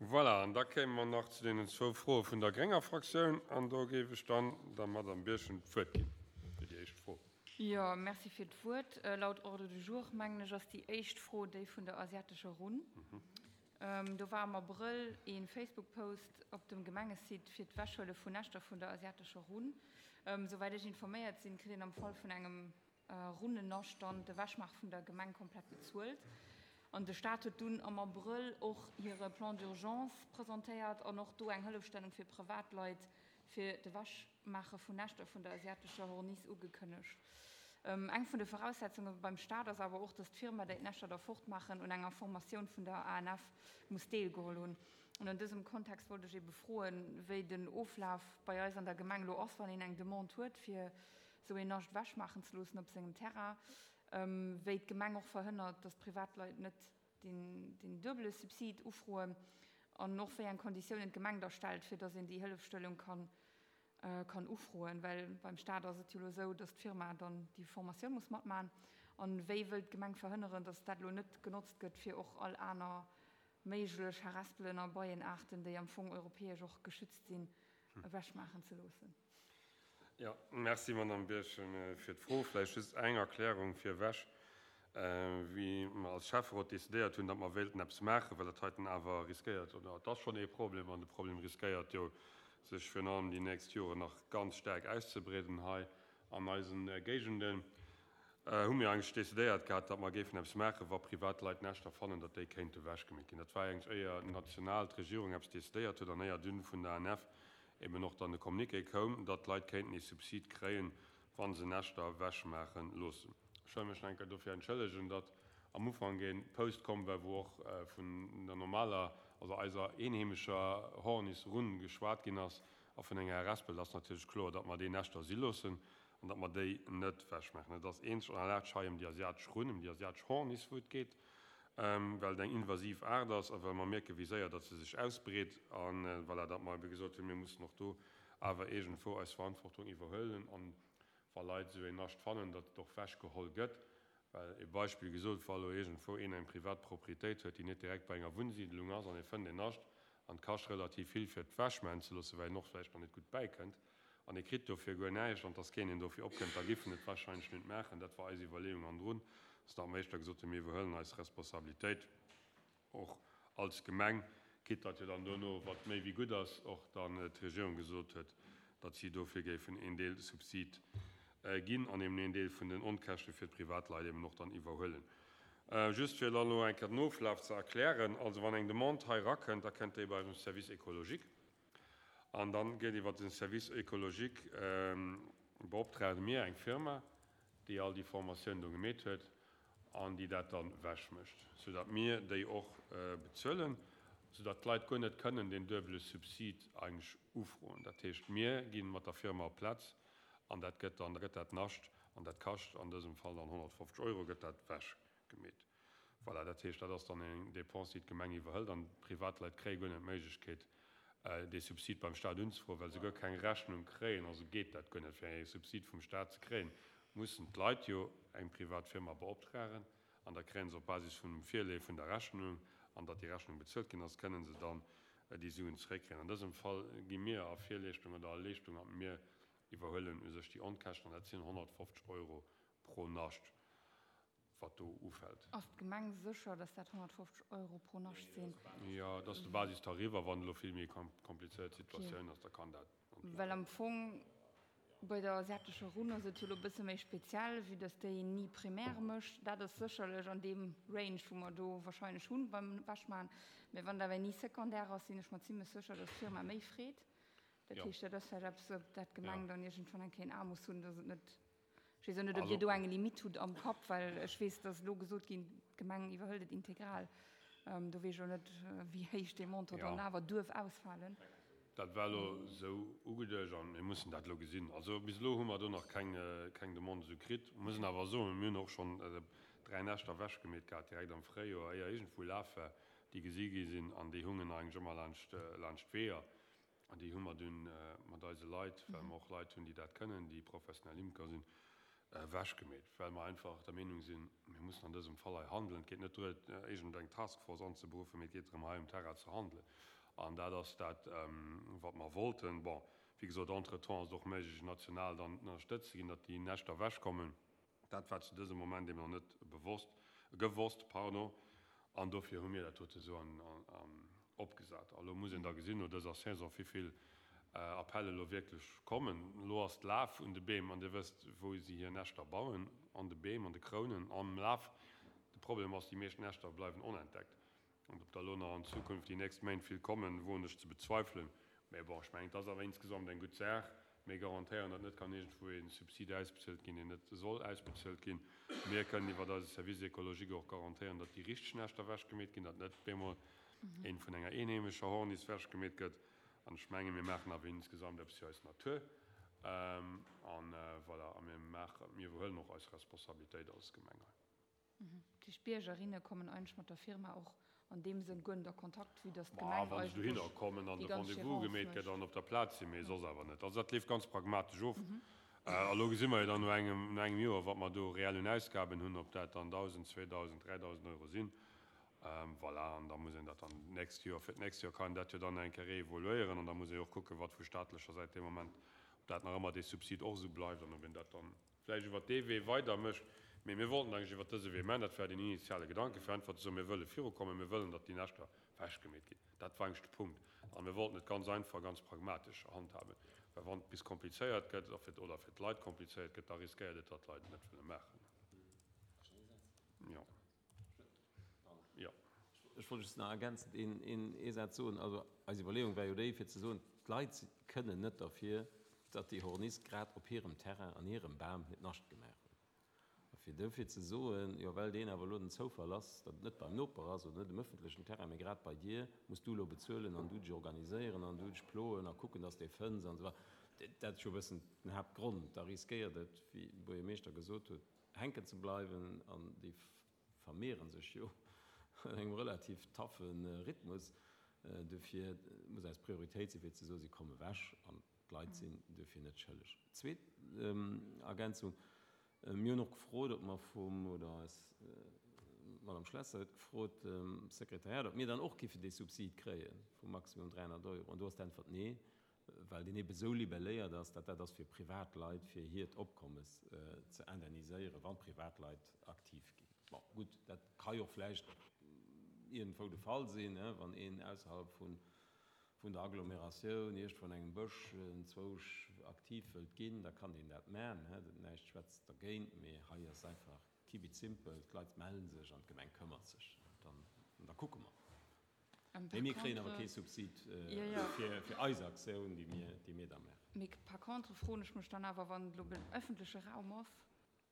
Voilà, an da kéime mer nach zu deenen zwou Froe vun der grénger Fraktioun. An do géif ech dann der Madame Birchen d'Wuert ginn fir déi éischt Fro. Jo, merci fir d'Wuert. Laut Ordre du jour, mengen ech, ass déi éischt Fro déi vun der asiatescher Runn. Do war am Abrëll ee Facebook-Post op dem Gemengesite fir d'Wechhuele vun Näschter vun der asiatescher Runn. Souwäit ech informéiert sinn, kritt een am Fall vun engem Runnennascht dann d'Ewechmaache vun der Gemeng komplett bezuelt. An de Staat huet dunn am Abrëll och hire Plan d'urgence presentéiert an och do eng Hëllefstellung fir Privatleit fir d'Ewechmaache vun Näschter vun der asiatescher Horniss ugekënnegt. Eng vun de Voraussetzunge beim Staat ass awer och, datt d'Firma, déi d'Näschter da fortmaachen, un enger Formatioun vun der ANF muss deelgeholl hunn. An an dësem Kontext wollt ech ebe froen, wéi den Oflaf bei eis an der Gemeng elo ass, wann een eng Demande huet, fir sou een Nascht ewech maachen ze loossen op sengem Terrain, wéi d'Gemeng och verhënnert, datt Privatleit net deen duebele Subsid ufroen an och wéi eng Konditiounen d'Gemeng da stellt, fir datt een déi Hëllefstellung kann kann ufroen. Well beim Staat ass et jo elo esou, datt d'Firma dann déi Formatioun muss matmachen. An wéi wëllt d'Gemeng verhënneren, datt dat elo net genotzt gëtt, fir och all aner méiglech Harespelen a Beienaarten, déi am Fong europäesch och geschützt sinn, ewechmaachen ze loossen? Jo, merci Madamm Birchen fir d'Fro. Vläicht just eng Erklärung virwech. Wéi mer als Schäfferot decidéiert hunn, datt mer wéilten eppes maachen, well dat heiten awer riskéiert, oder et ass schonn ee Problem an de Problem riskéiert jo sech virun allem déi nächst Joren nach ganz staark auszebreeden hei an eisen Géigenden, hu mir eigentlech decidéiert gehat, datt mer géifen eppes maachen, wa Privatleit Näschter fannen, datt déi kéinte ewechgemeet ginn. Dat war eigentlech éier national d'Regierung eppes decidéiert huet an éier dunn vun der ANF eben och dann de Communiqué koum, datt d'Leit kéinten ee Subsid kréien, wa se Näschter ewechmaache loossen. Ech wëll mech nach eng Kéier dofir entschëllegen, datt am Ufank ee Post komm war, wou och vun der normaler, also eiser eenheemescher Hornisrunn geschwat ginn ass a vun enger Harespel. Et ass natierlech kloer, datt mer déi Näschter si loossen an datt mer déi net ewechmaachen. Et ass eenzeg an allein hei ëm déi asiatesch Runn, ëm déi asiatesch Horniss, wou et geet. well et eng invasiv Aart ass a well mer mierken, wéi séier datt se sech ausbreet a voilà, datt mer ebe gesot hunn, mir mussen och do awer iergendwou eis Verantwortung iwwerhuelen an wa Leit esou een Nascht fannen, datt et och wechgeholl gëtt. Well e Beispill gesot, wa elo iergendwou een eng privat Proprietéit huet, déi net direkt bei enger Wunnsiidlung ass an e fënnt een Nascht an et kascht relativ vill fir et wechmaachen ze loossen, well een och vläicht nach net gutt bäikënnt an e kritt dofir guer näischt an dass keen een dofir opkënnt, da giff en et wahrscheinlech net maachen. Dat war eis Iwwerleeung an drun ass datt mer éischter gesot hunn, mir iwwerhuelen eis Responsabilitéit och als Gemeng, quitte datt jo dann dono, wat méi wéi gutt ass, och dann d'Regierung gesot huet, datt si dofir géifen een Deel Subsid ginn an eben een Deel vun den Onkäschte fir d'Privatleit eben och dann iwwerhuelen. Just fir dann elo eng Kéier den Oflaf ze erklären, also wann eng Demande hei erakënnt, da kënnt déi bei eisem Service écologique. An dann gëtt iwwer den Service écologique beoptragen mir eng Firma, déi all déi Formatioun do gemeet huet an déi dat dann wech mécht, sou datt mir déi och bezuelen, sou datt d'Leit guer net kënnen deen duebele Subsid eigentlech ufroen. Dat heescht, mir gi mat der Firma op d'Plaz an dat gëtt dann, da gëtt dat Nascht an dat kascht an dësem Fall dann 150 Euro, gëtt dat wech gemeet. Voilà, dat heescht, dat ass dann eng Dépense, déi d'Gemeng iwwerhëlt an d'Privatleit kréie guer net d'Méiglechkeet, dee Subsid beim Stat unzefroen, well se guer keng Rechnung kréien. Also geet dat guer net. Fir ee Subsid vum Stat ze kréien, mussen d'Leit jo eng privat Firma beoptragen an da kréie se op Basis vun dem Virleeë vun der Rechnung an datt déi Rechnung bezuelt ginn ass, kënnen se dann déi Suen zeréckkréien. An dësem Fall gi mir a Virleeschtung oder a Leeschtung a mir iwwerhuelen u sech déi Onkäschten an dat sinn 150 Euro pro Nascht. wat do ufält. Ass d'Gemeng sécher, dass dat 150 Euro pro Nascht sinn? Jo, dat ass de Basistarif. A wann elo vill méi komplizéiert Situatioun ass, da kann dat. Well am Fong bei der asiatescher Runn ass et jo elo e bësse méi speziell, vue dass déi ni Primaire mécht. Dat ass sécherlech an deem Range, wou mer do wahrscheinlech hunn beim Ewechmaachen. Mä wann dat awer ni Secondaire ass, sinn ech mer zimlech sécher, dass d'Firma méi freet. Dat heescht, dat ass vläicht eppes, op dat d'Gemeng dann iergendwann eng Kéier en A muss hunn, dass et net Ech weess och net, ob Dir do eng Limitt hutt am Kapp, well ech weess, dass elo gesot ginn, d'Gemeng iwwerhëlt et integral. Do weess ech elo net, wéi héich dee Montant dann awer duerf ausfalen. Dat war elo esou ugeduecht a mir mussen dat elo gesinn. Also bis elo hu mer do nach keng, keng Demande esou kritt. Mir mussen awer soen, mir hunn och schonn 3 Näschter ewechgemeet gehat, direkt am Fréijoer, éier iergendwou Laf war, déi gesi gi sinn an déi hungen eigentlech ëmmer laanscht, laanscht d'Weeër. An déi hu mer dunn mat eise Leit, well mer och Leit hunn, déi dat kënnen, déi professionell Imker sinn. Ewechgemeet, well mer einfach der Meenung sinn, mir mussen an dësem Fall hei handelen. Et geet net duer, iergend eng Taskforce anzeberuffen, mee et geet drëm, hei um Terrain ze handelen. An dat ass dat, wat mer wollten. Bon, wéi gesot, entretemps ass et och méiglech, national dann ënnerstëtzt ze ginn, datt déi Näschter ewechkommen. Dat war zu dësem Moment eben nach net bewosst, gewosst, pardon. An dofir hu mir dat dote sou opgesat. A lo muss een da gesinn no dëser Saison, wéi vill Appelle elo wierklech kommen. Elo ass d'Laf un de Beem, an Dir wësst, wou si hir Näschter bauen, an de Beem, an de Krounen, am Laf. De Problem ass, déi meescht Näschter bleiwen onentdeckt. An ob der elo nach an Zukunft déi nächst Méint vill kommen, woen ech ze bezweifelen. Mä bon, ech mengen, et ass awer insgesamt eng gutt Saach. Mir garantéieren, datt net kann iergendwou ee Subsid ausbezuelt ginn, deen net soll ausbezuelt ginn. Mir kënnen iwwert eise Service écologique och garantéieren, datt déi richteg Näschter ewechgemeet ginn, datt net bemol een vun enger eenheemescher Horniss ewechgemeet gëtt. An ech mengen, mir maachen awer insgesamt eppes fir eis Natur. An voilà, a mir maachen, mir iwwerhuelen och eis Responsabilitéit als Gemeng hei. Dat heescht, d'Biergerinne kommen eigentlech mat der Firma och an deem Sënn guer net a Kontakt, vue dass d'Gemeng eigentlech déi ganz Gérance mécht. Wa se dohinner kommen an de Rendez-vous gemeet gëtt an op der Plaz sinn, mee soss awer net. Also dat leeft ganz pragmatesch of. A lo gesi mer jo dann no engem, no engem Joer, wat mer do reell un Ausgaben hunn, ob dat dann 1.000, 2.000, 3.000 Euro sinn. Voilà, an da muss een dat dann d'nächst Joer, fir d'nächst Joer kann een dat jo dann eng Kéier reevaluéieren an da muss ee jo och kucken, wat vu staatlecher Säit dee Moment, ob dat nach ëmmer dee Subsid och esou bleift an ob een dat dann vläicht iwwert dee Wee weider mécht. Mee mir wollten eigentlech iwwert dëse Wee maachen, dat war den initiale Gedanke, fir einfach ze soen, mir wëlle virukommen, mir wëllen, datt déi Näschter ewechgemeet ginn. Dat war eigentlech de Punkt. A mir wollten et ganz einfach, ganz pragmatesch handhaben, well wann et bis komplizéiert gëtt a fir, oder fir d'Leit komplizéiert gëtt, da riskéiert et, datt d'Leit et net wëlle maachen. Jo. Jo. Ech wollt just nach ergänzend een, ee Saz soen. Also eis Iwwerleeung war jo déi, fir ze soen, d'Leit kënnen net derfir, datt déi Horniss grad op hirem Terrain, an hirem Bam hiert Nascht gemaach huet. A fir dofir ze soen, jo well deen awer elo den Zoufall ass, datt et net beim Noper ass oder net um ëffentlechen Terrain, mee grad bei dir, muss du elo bezuelen an du dech organiséieren an du dech ploen a kucken, datt s de e fënns an esou weider. Dat ass jo e bëssen den Haaptgrond. Da riskéiert et, wéi de Buergermeeschter gesot huet, hänken ze bleiwen an déi vermehren sech jo an engem relativ taffe Rhythmus. Dofir muss eis Prioritéit sinn, fir ze soen, si kommen ewech an d'Leit sinn dofir net schëlleg. Zweet Ergänzung, Mir hunn och gefrot, ob mer vum, oder eis Madame Schlesser huet gefrot, Sekretariat, ob mir dann och géifen dee Subsid kréie vu maximum 300 Euro. An do ass d'Äntwert nee. well deen ebe sou libelléiert ass, datt dat ass fir Privatleit, fir hiert Opkommes ze indemniséieren, wa Privatleit aktiv ginn. Bon, gutt, dat ka jo vläicht iergendwou de Fall sinn, wann een ausserhalb vun der Agglomeratioun iergendwou an engem Bësch enzwousch aktiv wëllt ginn, da kann deen dat man, näischt schwätzt dergéint, mee hei ass einfach keep it simple, d'Leit melle sech an d'Gemeng këmmert sech, dann da kucke mer. Mee mir kréien awer kee Subsid fir eis Aktioun, déi mir da maachen. Mee par contre froen ech mech dann awer, wann et elo den öffentleche Raum ass,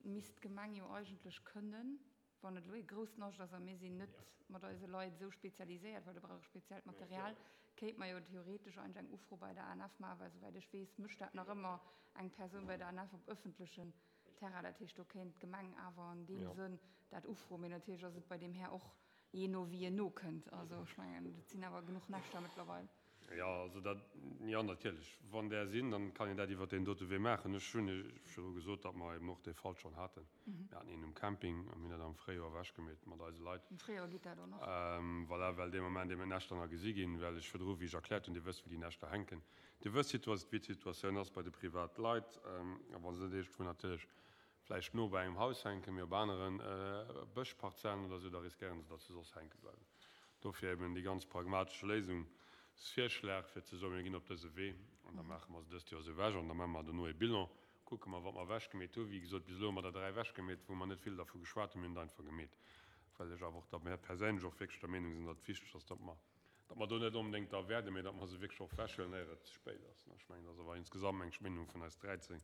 misst d'Gemeng jo eigentlech kënnen, wann et elo ee grousst Nascht ass a mir sinn net mat eise Leit esou spezialiséiert, well do brauch ee speziellt Material, kéint mer jo theoretesch eigentlech eng Ufro bei der ANF maachen, well souwäit ech weess, mécht dat nach ëmmer eng Persoun bei der ANF op öffentlechen Terrain. Dat heescht, do kéint d'Gemeng awer an deem Sënn dat ufroen. Mee natierlech ass et bei deem Här och Jee no wéi en nokënnt. Also ech mengen, et sinn awer genuch Näschter mëttlerweil. Jo, also dat, jo natierlech, wann där sinn, dann kann een dat iwwert deen dote Wee maachen. Ech hunn Iech virdru gesot, datt mer eben och dee Fall schonn haten. Mir haten een um Camping a mir hunn dat am Fréijoer ewechgemeet mat eise Leit. Am Fréijoer geet dat och nach. Voilà, well dee Moment eben d'Näschter nach gesi ginn, well ech virdru, wéi ech erkläert hunn, Dir wësst wéi déi Näschter hänken, Dir wësst wéi d'Situatioun ass bei de Privatleit, a wa se net iergendwou natierlech vläicht no bei engem Haus hänken, mee op anere Bëschparzellen oder esou, da riskéieren se, datt se soss hänke bleiwen. Dofir eben déi ganz pragmatesche Léisungsvirschlag, fir ze soen, mir ginn op dëse Wee an da maache mer se dëst Joer esou ewech an da maache mer dono ee Bilan, kucke mer, wat mer ewechgemeet hunn. Wéi gesot, bis elo hu mer der 3 ewechgemeet, wou mer net vill dervu geschwat hunn, mir hunn et einfach gemeet, well ech awer och da perséinlech och wierklech der Meenung sinn, datt et wichteg ass, datt mer, datt mer do net onbedéngt da wäerten, mee datt mer se wierklech och ewechhuelen, éier et ze spéit ass. Ech mengen, dat ass awer insgesamt eng Meenung vun eis 13.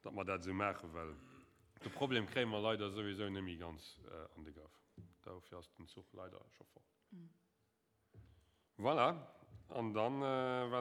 Datt mer dat esou maachen, well de Problem kréie mer leider souwisou net méi ganz an de Grëff. Dofir ass den Zuch leider scho fort. Voilà, an dann war nach.